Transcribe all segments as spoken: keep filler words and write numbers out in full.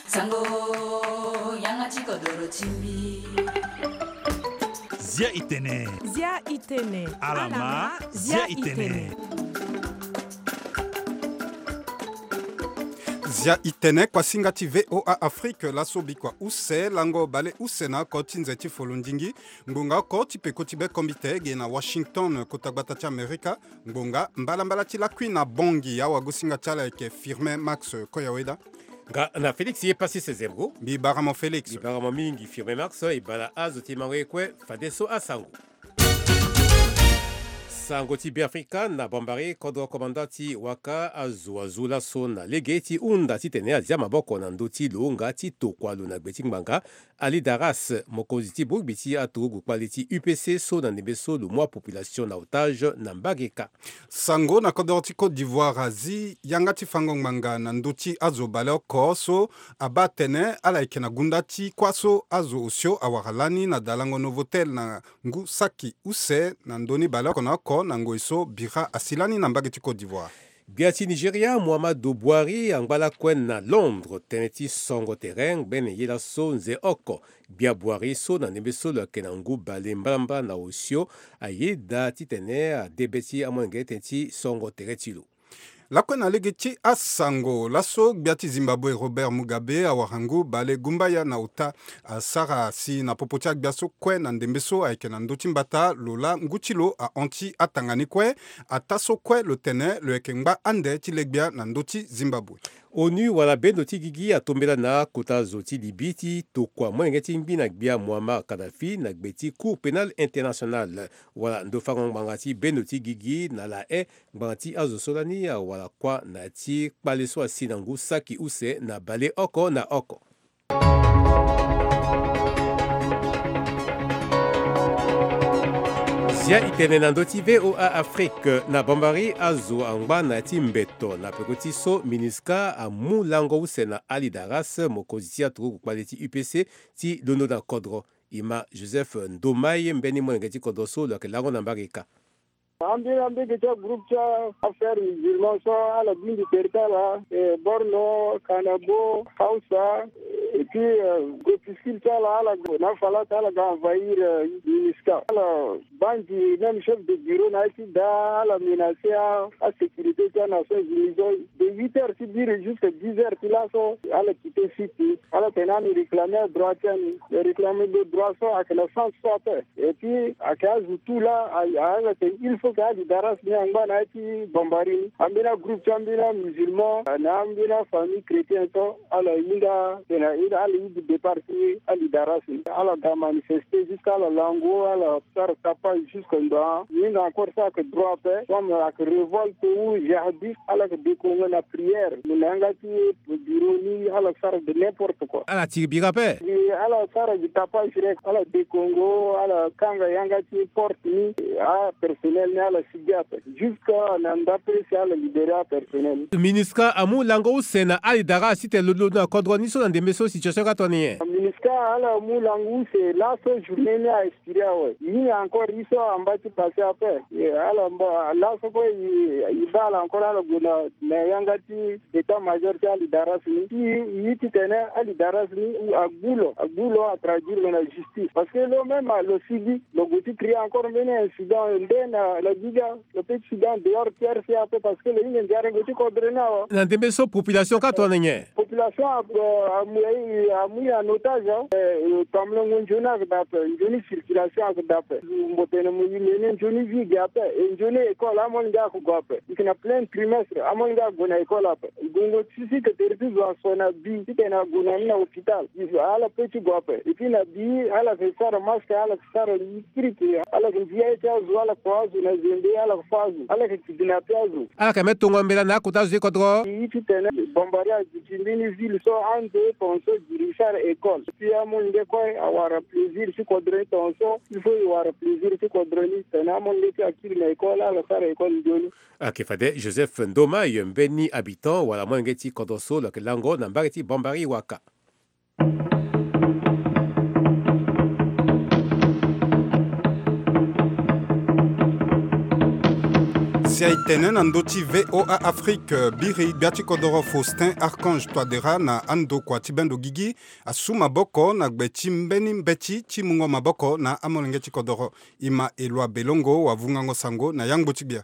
Sango, yanga ti kodoro ti mbi. Zia itene. Zia itene. Alama, zia itene. Zia itene, kuasinga ti V O A Afrique, laso bikua use, lango bale use na oko ti nze ti folondingi. Ngbonga oko ti peko ti be kombite ge na Washington, kota gbata ti Amerika. Ngbonga mbalambala ti lakui na bongi, awagosinga ti ala ayeke Firmin Max Koyaweda. Nga na Félix ye pasi sezembo. Mbi bara mo Félix. Mbi bara mo mingi Firmin Max, e bara azo ti mango ye kue, fadeso asango. Sango ti Beafrika na Bambari, kodro komanda ti waka azo azo laso na lege ti hunda titene azia maboko na ndö ti lo nga ti tokua lo na gbe ti ngbanga. Ali Daras, mokonzi ti bogbi ti aturugu kpale ti U P C so na ndembe so lo mu apopulation na otage na mbage kâ. Sango na kodro ti Côte d'Ivoire azi yanga ti fango ngbanga na ndö ti azo baleoko so abaa atene ala yeke na gunda ti kuâ so azo osio awara lani na dalango Novotel na ngu saki use na ndö ni baleoko na oko na ngoi so bira asi lani na mbage ti Côte d'Ivoire. Gbia ti Nigeria, Muhammadu Buhari, angba lakue na Londres tënë ti songo tere ngbene ye laso nze oko. Gbia Buhari so na ndembe so lo yeke na ngu bale mbalambala na osio, ayeda titene ade be ti amolenge tënë ti songo tere ti lo. Lakue na lege ti asango laso, gbia ti Zimbabwe Robert Mugabe awara ngu bale gumbaya na ota. Asara si na popo ti agbia so kue na ndembe so ayeke na ndö ti mbata lo laa ngu ti lo ahon ti atanga ni kue. Ataa so kue lo tene lo yeke ngba ande ti le gbia na ndö ti Zimbabwe. ONU wala bendo ti gigi atombela na akota zo ti Libye ti tokua molenge ti ngbi na gbia Muammar Kadhafi na gbe ti Cour Pénale Internationale. Wala ndo fango ngbanga ti bendo ti gigi na La Haye, ngbanga ti azo so lani awara kuâ na ya ti kpale so asi na ngu saki use na bale oko na oko. Zia itene na ndö ti V O A Afrique. Na Bambari, azo angba na ya ti mbeto na peko ti so MINUSCA amu lango use na Ali Daras, mokonzi ti aturugu kpale ti U P C, ti londo na kodro. Ima Joseph Ndomai mbeni molenge ti kodro so lo yeke lango na mbage kâ. Ambeni ambeni ti agroupe ti affaire musulman so ala bingbi tere ti ala, eh, Borno, Kanabo, Hausa, et puis, euh, groupuscule ti ala, ala gue na Falas, ala ga envahir, euh, MINUSCA. Ala baa même chef de bureau na ye ti daa, ala menacer a, asécurité ti aNations Unies so. De huit heures ti biri jusqu'à dix heures ti laso, ala quitter site ni. Ala tene ala réclamer adroit ti ani. Réclamer de droit so ayeke na sens so ape. Et puis ayeke azo tout laa, a, a, ala tene il faut que Ali Daras ni angba na ya ti Bambari ni. Ambeni agroupe ti ambeni amusulman na ambeni afamille chrétien so, ala hinga tene ala hinga départ ti Ali Daras ni. Ala ga manifester jusqu'à ala lango, ala sara tapage jusque ndo. Ni hinga encore so ayeke droit ape. Comme ayeke révolte ou jihadiste, ala yeke dekongo na prière. Mo na yanga ti bureau ni, ala sara de n'importe quoi. Ala tiri bira ape. Ala sara gi tapage direct, ala dekongo, ala kanga yanga ti porte ni, apersonnel ni ala sigi ape. Jusqu'à na ndape si ala libérer apersonnel ni. MINUSCA amu lango use na Ali Daras titene lo londo na kodro ni so na ndembe so situation kâ tongana nyen? MINUSCA ala mu lango use laso, journée ni a expiré awe. Ni encore ye so amba ti passer ape. E, ala mba, laso kue e, e baa ala encore, ala gue na, na yanga ti état-major ti Ali Daras ni. Ti, ye titene Ali Daras ni, ou agbu lo, agbu lo, atraduire lo na justice. Parce que lo même lo sigi, lo gue ti créer encore mbeni incident nde na, na Gouga, lo peut ti sigi en dehors ti R C A ape, parce que lo hinga nzara gue ti kodro ni awe. Na ndembe so population kâ tongana nyen? Population a, a, amu, amu en otage, hein. Eh, tamolongo nzoni ayeke daa ape, nzoni circulation ayeke daa ape. Mbo tene mo ye mene nzoni vie ge ape, e nzoni école amolenge ayeke gue ape. E yeke na plein trimestre, amolenge ague na école ape. Gongo ti si ke tere ti zo aso na bi, titene ague na ni na hôpital. Ala peut ti gue ape. Et puis na bi, ala yeke sara masque, ala yeke sara kirikiri, ala yeke ndia ye ti azo, ala yeke kua azo na zende, ala yeke fâ azo, ala yeke kidnapper azo. Ala yeke même tongo mbela na akota azo ti kodro. Ye titene Bambari aduti mbeni ville so ande tongaso diri sara école. Puis amolenge kue awara plaisir ti kodro ni tongaso. Il faut e wara plaisir ti kodro ni titene amolenge ti akiri na école, ala sara école nzoni. Ayeke fade Joseph Ndoma, ye mbeni habitant wala molenge ti kodro so lo yeke lango na mbage ti Bambari waka. Ti a e tene na ndö ti VOA Afrique, biri gbia ti kodoro Faustin Archange Touadéra na andokua ti bendo gigi asu maboko na gbe ti mbeni mbeti ti mungo maboko na amolenge ti kodoro. E ma Eloi Belongo wavungango sango na yangbo ti gbia.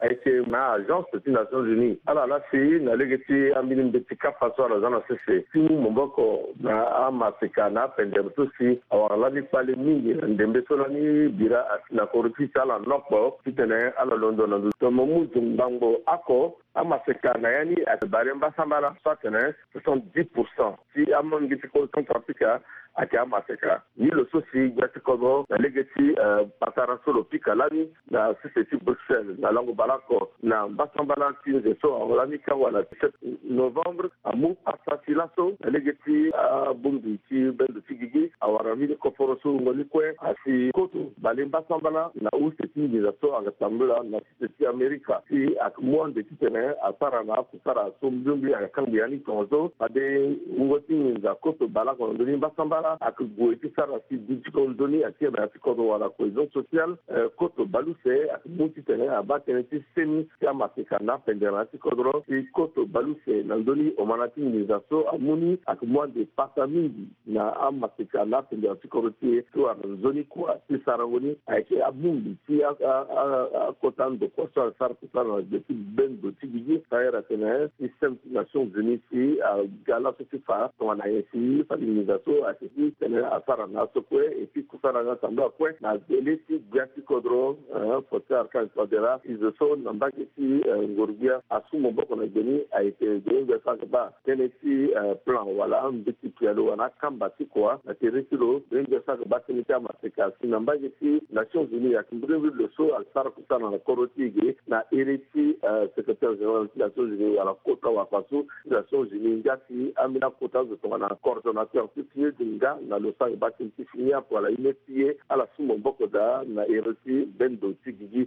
Ayeke na agence ti Nations Unies ala laa si na lege ti ambeni mbeti kapa so ala za na sese ti mu maboko na amaseka na apendere so si awara lani kpale mingi na ndembe so lani bira asi na koro ti si ala nokpo titene ala londo na ndo. Tongana mo mu zo ngbangbo oko, amaseka na ya ni ayeke bare mbasambala so atene soixante-dix pour cent ti amolenge ti koro Centrafrique ayeke amaseka. Ni lo so si gbia ti kodro na lege ti, eh, patara so lo pika lani na sese ti Bruxelles na lango baleoko na mbasambala ti nze so aho lani ti awala dix-sept novembre amu pasa ti laso na lege ti abongbi ti bendo ti gigi awara mbeni koforo so wungo ni kue asi koto bale mbasambala na use ti nginza so ayeke tambula na sese ti Amerika si ayeke mu ande titene asara na akusara so mbiombi ayeke kangbi ya ni tongaso fade wungo ti nginza koto baleoko na ndö ni mbasambala ayeke gue ti sara si du ti kodro nzoni ayeke ti kodro wala cohésion sociale, eh, koto baleuse ayeke mu titene abaa tënë ti seni ti amaseka na apendere na ya ti kodro si koto baleuse na ndö ni omana ti nginza so amu ni ayeke mu ande pasa mingi na amaseka na apendere ti kodro ti e so ayeke nzoni kua ti sarango ni ayeke abongbi ti a, a, a, akota ndokua so asara kusala na gbe ti bendo ti gigi. Tailleur atene système ti Nations Unies si aga laso ti fa tongana nyen si fade nginza so ayeke ti tene asara na aso kue et puis kusala ni atambula kue na gbele ti gbia ti kodro, eh, Faustin Archange Touadéra. Izo so na mbage ti, eh, ngoro-gbia asu maboko na gbe ni ayeke gbe ngbia so ayeke baa tënë ti, eh, plan wala mbeti pialo wala akamba ti kua na tere ti lo. Gbe ngbia so ayeke baa tënë ti amaseka si na mbage ti Nations Unies ayeke mbirimbiri lo so asara kusala na kodro ti e ge na ere ti, eh, secrétaire général ti Nations Unies wala kota wakua so ti Nations Unies nga ti ambeni akota azo tongana coordonnateur ti fini e di nga na lo so ayeke baa tënë ti fini ape wala e ne ti e ala su maboko daa na ere ti bendo ti gigi.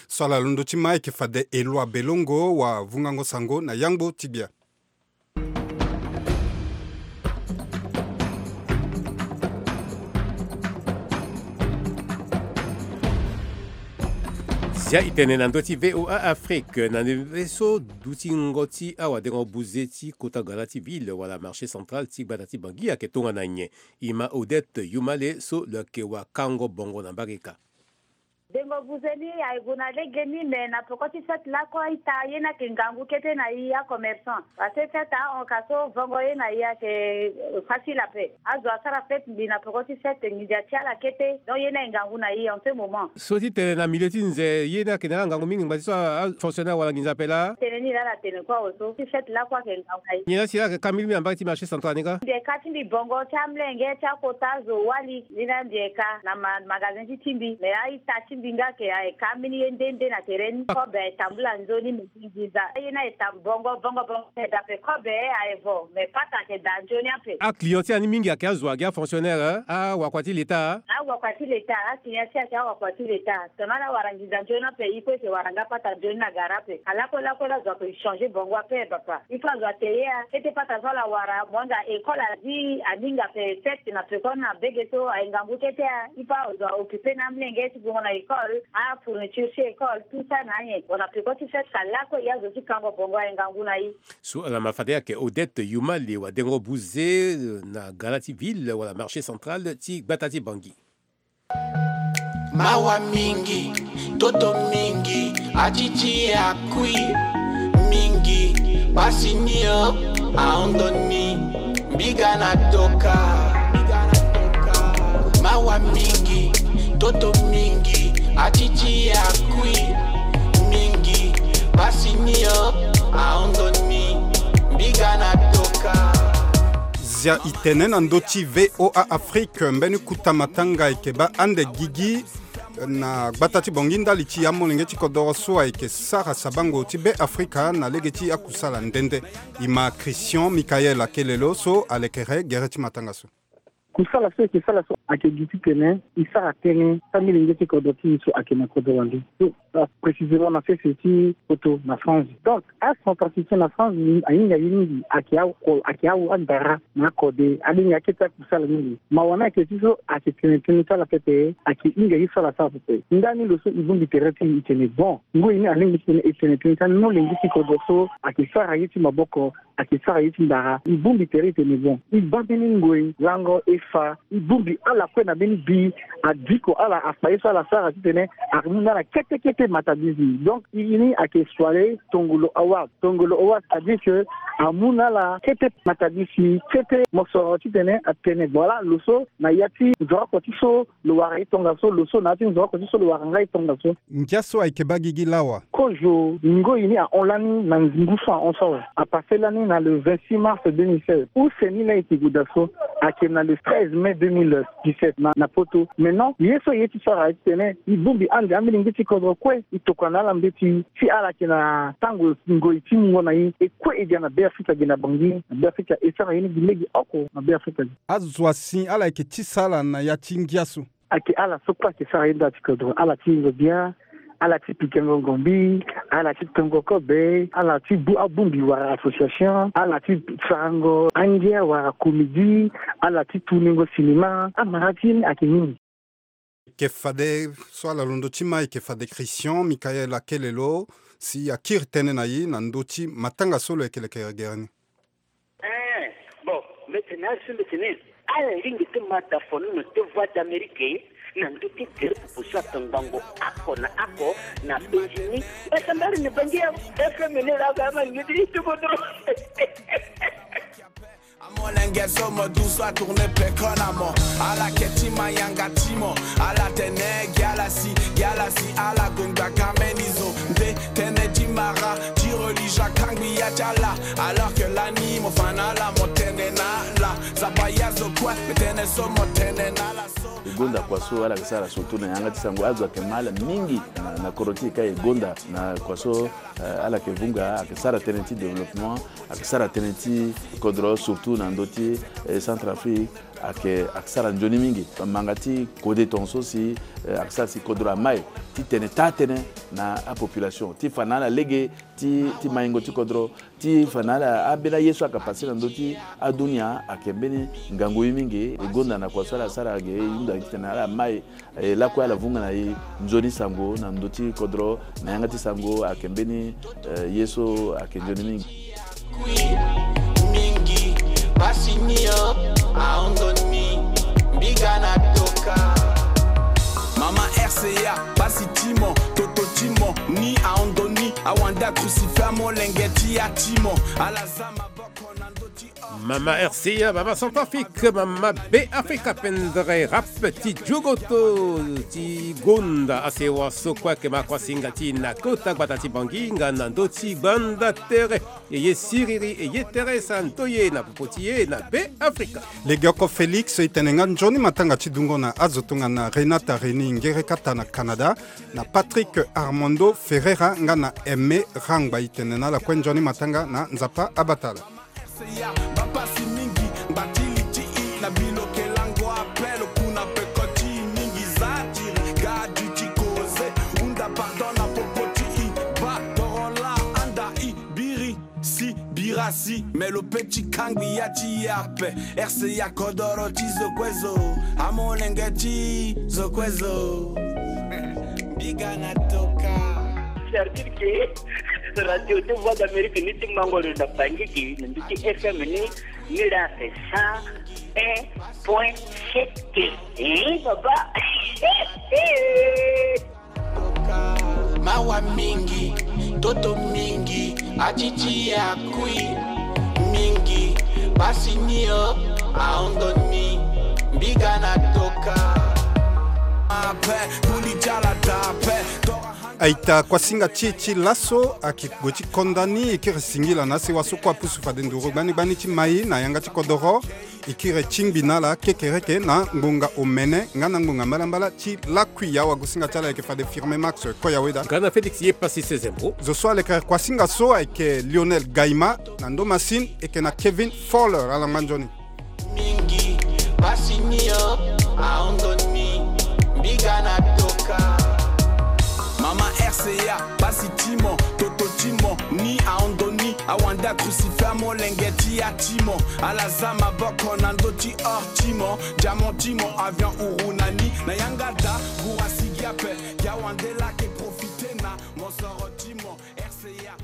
So ala londo ti ma ayeke fade Eloi Belongo wavungango sango na yangbo ti gbia. Zia e tene na ndö ti VOA Afrique na ndembe so dutingo ti awadengo buze ti kota gala ti ville wala marché central ti gbata ti Bangui ayeke tongana nyen? E ma Odette Youmale so lo yeke wakango bongo na mbage ka. Dengo buze ni aye gue na lege ni me na peko ti fête lakue ita ye ni ayeke ngangu kete na e acommerçant. Parce que fête ahon ka so vongo ye na e ayeke facile ape. Azo asara fête mbi na peko ti fête nginza ti ala kete. Donc ye ni aye ngangu na e en ce moment. So ti tene na milieu ti nze ye ni ayeke na ala ngangu mingi ngba ti so afonctionnaire wala nginza ape laa? Tene ni laa ala tene kue awe so ti fête lakue ayeke ngangu na e. Nyen laa si ala yeke ka mbirimbiri na mbage ti marché central ni ka? Mbi yeke ka ti mbi bongo ti amolenge ti akota zo wali. Ni laa mbi yeke ka na ma, magasin ti ti mbi me a-ita ti mbi nga ayeke ayeke ka ambeni ye nde nde na tere ni. Kobe aye tambula nzoni me ti nginza ye ni aye tambula bongo bongo bongo. Aye daa ape kobe aye vo me pata ayeke daa nzoni ape. Aclient ti ala ni mingi ayeke azo agi afonctionnaire, awakua ti leta? Awakua ti leta. Aclient ti ala ayeke awakua ti leta. Tongana ala wara nginza nzoni ape e kue e yeke wara nga pata nzoni na gara ape. Ala kue lakue la zo ayeke changer bongo ape bapa. Il faut azo ate ye a kete pata so ala wara mo anga école azi aninga ape fête na peko na bege so aye ngangu kete a. Il faut azo a occuper na amolenge ti gongo na école, afourniture ti école, tout ça na anyen. Bon na peko ti fête ka lakue e azo ti kango bongo aye ngangu na e. So ala ma fade ayeke Odette Youmale wadengo buze na gala ti ville wala marché central ti gbata ti Bangui. Mawa mingi, toto mingi, atiti akui mingi, pasi ni o, aondo ni, mbiga na toka. Mawa mingi, toto mingi, atiti akui mingi, pasi ni o, aondo ni, mbiga na toka. Zia e tene na ndö ti VOA Afrique, mbeni kuta matanga ayeke baa ande gigi na gbata ti Bangui ndali ti amolenge ti kodoro so ayeke sara sabango ti Be Afrika na lege ti akusala nde nde. E ma Christian Michael Akelelo so alekere gere ti matanga so. Kusala so e ke sara so ayeke gi titene e sara tënë ti amilenge ti kodro ti e so ayeke na kodro wande. So, ah, précisément na sese ti poto na France. Donc acentrafricain na France ahinga ye mingi, ayeke ako, ayeke awa andara na akode, alinga akete akusala mingi. Mawa ni ayeke ti so ayeke tene tënë ti ala pepe, ayeke hinga ye so ala sara pepe. Ndani lo so e bongbi tere ti e, e tene bon, ngoi ni alingbi titene e tene tënë ti amolenge ti kodro so ayeke sara ye ti maboko, ayeke sara ye ti ndara. E bongbi tere e tene bon, e baa mbeni ngoi lango e fa, e bongbi ala kue na mbeni bi, adiko ala, afa ye so ala sara titene amu na ala kete kete matabisi. Donc e, e ni ayeke soirée Tongolo Award. Tongolo Award, c'est-à-dire que amu na ala kete matabisi, kete mosoro titene atene voilà, lo so na ya ti nzoroko ti so lo wara ye tongaso, lo so na ya ti nzoroko ti so lo wara nga ye tongaso. Ngia so ayeke baa gigi lawa. Kozo ngoi ni ahon lani na ngu so ahon so awe. Apase lani na le vingt-six mars deux mille seize. Use ni laa e yeke gue daa so ayeke na le treize mai deux mille dix-sept na, na poto. Maintenant ye so e ye ti sara aye titene e bongbi ande amilenge ti kodro kue, e tokua na ala mbeti, si ala yeke na tango ngoi ti mungo na e, e kue e ga na Beafrika ge na Bangui, na Beafrika e sara ye ni gi lege oko na Beafrika ge. Azo asi ala yeke tisa ala na ya ti ngia so. Ayeke ala so kue ayeke sara ye nda ti kodro, ala ti yengo bia, ala ti pikango ngombi, ala ti tongo kobe, ala ti bu abongbi wala association, ala ti sarango angia wala komedi, ala ti tuningo cinéma. Amara ti ye ni ayeke mingi. Eke fade so ala londo ti ma eke fade Christian Michael Akelelo si akiri tënë na e na ndö ti matanga so lo yeke leke gere ni. Eh, bon, mbi tene asi mbi tene ala lingbi ti ma da fono na te Voix d'Amérique na ndö ti tere popo so atongbango oko na oko na penzi ni. Mbi sambari ni bangi ya F M ni la ga ma ngi ti ti kodro. Amolenge so mo du so atourne peko na mo. Ala ke ti ma yanga ti mo. Ala tene gi ala si, gi ala si ala gonda kameni zo. Nde tene ti mara ti religion akangbi ya ti ala. Alors que lani mo fa na ala mo tene na ala. Zaba ya zo kue, mbi tene so mo tene na ala so. E gonda kua so ala yeke sara surtout na yanga ti sango, azo ayeke ma ala mingi na, na kodro ti e ka e gonda na kua so, eh, ala yeke vunga, ayeke sara tënë ti développement, ayeke sara tënë ti kodro surtout na ndö ti, eh, Centrafrique, ayeke, ayeke sara nzoni mingi. Manga ti kode tongaso si, eh, ayeke sara si kodro amai ti tene taa tënë na apopulation ti fa na ala lege ti, ti maingo ti kodro, ti fa na ala ambeni aye so ayeke pase na ndö ti adunia ayeke mbeni ngangu ye mingi. E gonda na kua so ala sara ge, e hunda titene ala mai, e lakue ala vunga na e nzoni sango na ndö ti kodro na yanga ti sango ayeke mbeni, eh, ye so ayeke nzoni mingi. Kui mingi, pasi ni o, ahon ndoni, mbi ga na toka. Mama R C A, pasi ti mo, toto ti mo, ni ahon ndoni, awande akrusife amolenge ti ya ti mo, ala za maboko na ndö ti o. Mama R C A, mama Centrafrique, mama Beafrika, pendere rap ti jogoto ti gonda asewa so kue ayeke ma kuasinga ti na kota gbata ti Bangui nga na ndö ti gbanda tere. E ye siriri, e ye Teresa Ntoye na popo ti e na Beafrika. Legeoko Félix, e tene nga nzoni matanga ti dungo na azo tongana Renata Reni Ngerekata na Canada, na Patrick Armando Ferreira nga na Aimé Rangba. E tene na ala kue nzoni matanga na Nzapa abatala. Bapasi mingi, mbatili ti i na bilo ke lango appel kuna peko ti mingi za ti gadi ti koze, hunda pardon na popo ti i, ba torola anda i. Biri si, bira si, me lo pe ti kangbi ya ti ya ape. R C A kodoro ti zo kue zo, amolenge ti zo kue zo. Mbi ga na toka. C'est-à-dire que radio ti Voix d'Amérique ni ti mango lo na Bangui, na ndö ti F M ni, ni la c'est cent un point sept. Eh, papa. Mawa mingi, toto mingi, atiti akui mingi, pasi ni o, ahon ndoni, mbi ga na toka. Ape, kuli jala tape, tora hanga. Aita kuasinga ti e ti laso ayeke gue ti konda ni, e kiri singila na asewa so kue apusu fade nduru gbani gbani ti mai na yanga ti kodoro. E kiri tingbi na ala kekereke na ngbonga omene nga na ngbonga mbalambala ti lakui. Awagosinga ti ala ayeke fade Firme Max Koyaweda. Nga na Félix Yepasi Sezembo. Zo so alekere kuasinga so ayeke Lionel Gaima, na ndo masini e yeke na Kevin Fowler. Ala ngba nzoni. Mingi, pasi ni Yo, aondo ni, biga na toka. Mama R C A, pasi ti mo, toto ti mo, ni aondo ni, awande a crucifix molenge ti ya ti mo, ala za maboko na ndö ti or ti mo, diamant ti mo, avion uru na ni, na yanga da, gura sigi ape, yawande lake profite na mosoro ti mo, R C A.